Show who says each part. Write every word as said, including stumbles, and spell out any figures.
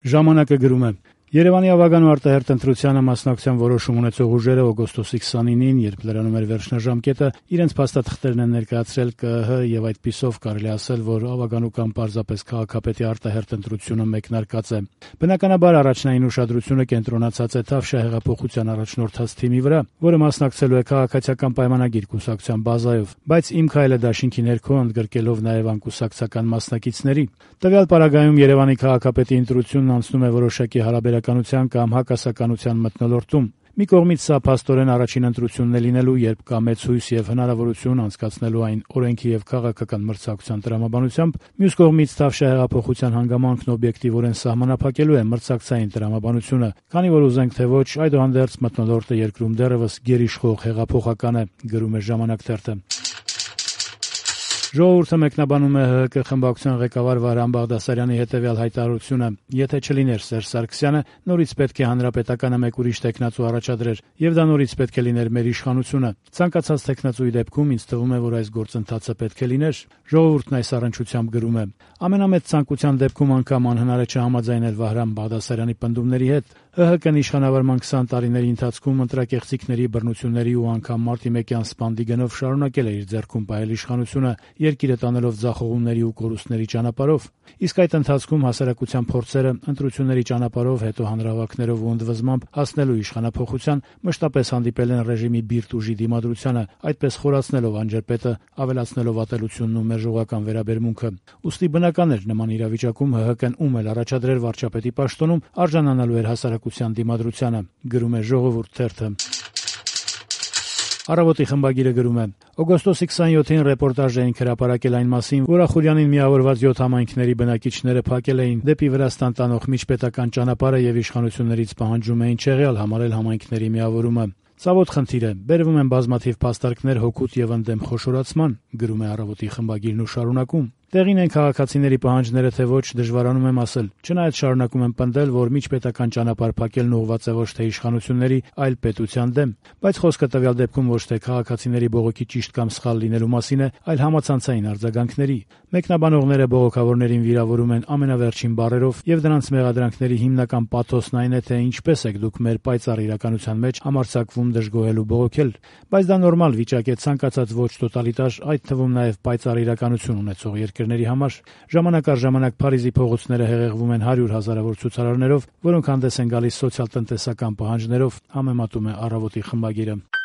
Speaker 1: Ժամանակը գրում է. Երևանի ավագան ու արտահերթ ընտրությանը մասնակցության որոշում ունեցող ուժերը օգոստոսի քսանինին, երբ լրանում էր վերջնաժամկետը, իրենց փաստաթղթերն են ներկայացրել Կ Ը Հ եւ այդպիսով կարելի ասել, որ ավագանու կամ պարզապես քաղաքապետի արտահերթ ընտրությունը մեկնարկած է։ Բնականաբար առաջնային ուշադրությունը կենտրոնացած է Թավշյա հեղափոխության առաջնորդած թիմի վրա, որը մասնակցելու է քաղաքացիական պայմանագիր կուսակցության բազայով, բայց Իմ քայլը դաշինքի ներքո ընդգրկելով նաեւ անկուսակցական մասնակիցների։ Տվյալ պարագայում Երևանի քաղաքապետի ընտրությունն անցնում է որոշակի հարաբերականության կամ հակասականության մթնոլորտում։ Մի կողմից սա փաստորեն առաջին ընտրությունն է լինելու, երբ կա մեծ հույս եւ հնարավորություն անցկացնելու այն օրենքի եւ քաղաքական մրցակցության տրամաբանությամբ, մյուս կողմից Թավշյա հեղափոխության հանգամանքն օբյեկտիվորեն սահմանափակելու է մրցակցային տրամաբանությունը, քանի որ ուզենք թե ոչ, այդուհանդերձ մթնոլորտը երկրում դեռևս գերիշխող հեղափոխական է, գրում է Ժամանակ թերթը։ Ժողովուրդը մեկնաբանում է Հ Հ Կ խմբակցության ղեկավար Վահրամ Բաղդասարյանի հետևյալ հայտարարությունը. «Եթե չլիներ Սերժ Սարգսյանը, նորից պետք է հանրապետականը մեկ ուրիշ թեկնածու առաջադրեր, եւ դա նորից պետք է լիներ մեր իշխանությունը։ Ցանկացած թեկնածուի դեպքում ինձ թվում է, որ այս գործընթացը պետք է լիներ»։ Ժողովուրդն այս առնչությամբ գրում է. «Ամենամեծ ցանկության դեպքում անգամ անհնար է չհամաձայնել Վահրամ Բաղդասարյանի պնդումների հետ։ Հ Հ Կ-ն իշխանավարման քսան տարիների ընթացքում ընտրակեղծիքների, բռնությունների ու անգամ մարտիմեկյան սպանդի գնով շարունակել է իր ձեռքում պահել իշխանությունը, երկիրը տանելով ձախողումների ու կորուստների ճանապարհով։ Իսկ այդ ընթացքում հասարակության փորձերը ընտրությունների ճանապարհով, հետո հանրահավաքներով ու ընդվզմամբ հասնելու իշխանափոխության մշտապես հանդիպել են ռեժիմի բիրտ ուժի դիմադրությանը, այդպես խորացնելով անջրպետը, ավելացնելով ատելությունն ու մերժողական վերաբերմունքը։ Ուստի բնական էր նման իրավիճակում Հ Հ Կ-ն ում էլ առաջադրեր վարչապետի պաշտոնում, արժանանալու էր հասարակության դիմադրությանը, գրում է Ժողովուրդ թերթը։ Առավոտի խմբագիրը գրում է. օգոստոսի քսանյոթին ռեպորտաժ էինք հրապարակել այն մասին, որ Ախուրյանին միավորված յոթ համայնքների բնակիչները փակել էին դեպի Վրաստան տանող միջպետական ճանապարհը եւ իշխանություններից պահանջում էին չեղյալ համարել համայնքների միավորումը։ Ցավոտ խնդիր է, բերվում են բազմաթիվ փաստարկներ հօգուտ եւ ընդդեմ խոշորացման, գրում է Առավոտի խմբագիրն ու շարունակում. Տեղին են քաղաքացիների պահանջները, թե ոչ, դժվարանում եմ ասել, չնայած շարունակում եմ պնդել, որ միջպետական ճանապարհ փակելն ուղղված է ոչ թե իշխանությունների, այլ պետության դեմ, բայց խոսքը տվյալ դեպքում ոչ թե քաղաքացիների բողոքի ճիշտ կամ սխալ լինելու մասին է, այլ համացանցային արձագանքների։ Մեկնաբանողները բողոքավորներին վիրավորում են ամենավերջին բառերով, եւ դրանց մեղադրանքների հիմնական պաթոսն այն է, թե ինչպես եք դուք մեր պայծառ իրականության մեջ համարձակվում դժգոհել ու բողոքել, բայց դա նորմալ վիճակ է ցանկացած ոչ տոտալիտար, այդ թվում նաեւ պայծառ իրականություն ունեցող երկրների համար։ Ժամանակ առ ժամանակ Փարիզի փողոցները հեղեղվում են հարյուր հազարավոր ցուցարարներով, որոնք հանդես են գալիս սոցիալ-տնտեսական պահանջներով, համեմատում է Առավոտի խմբագիրը։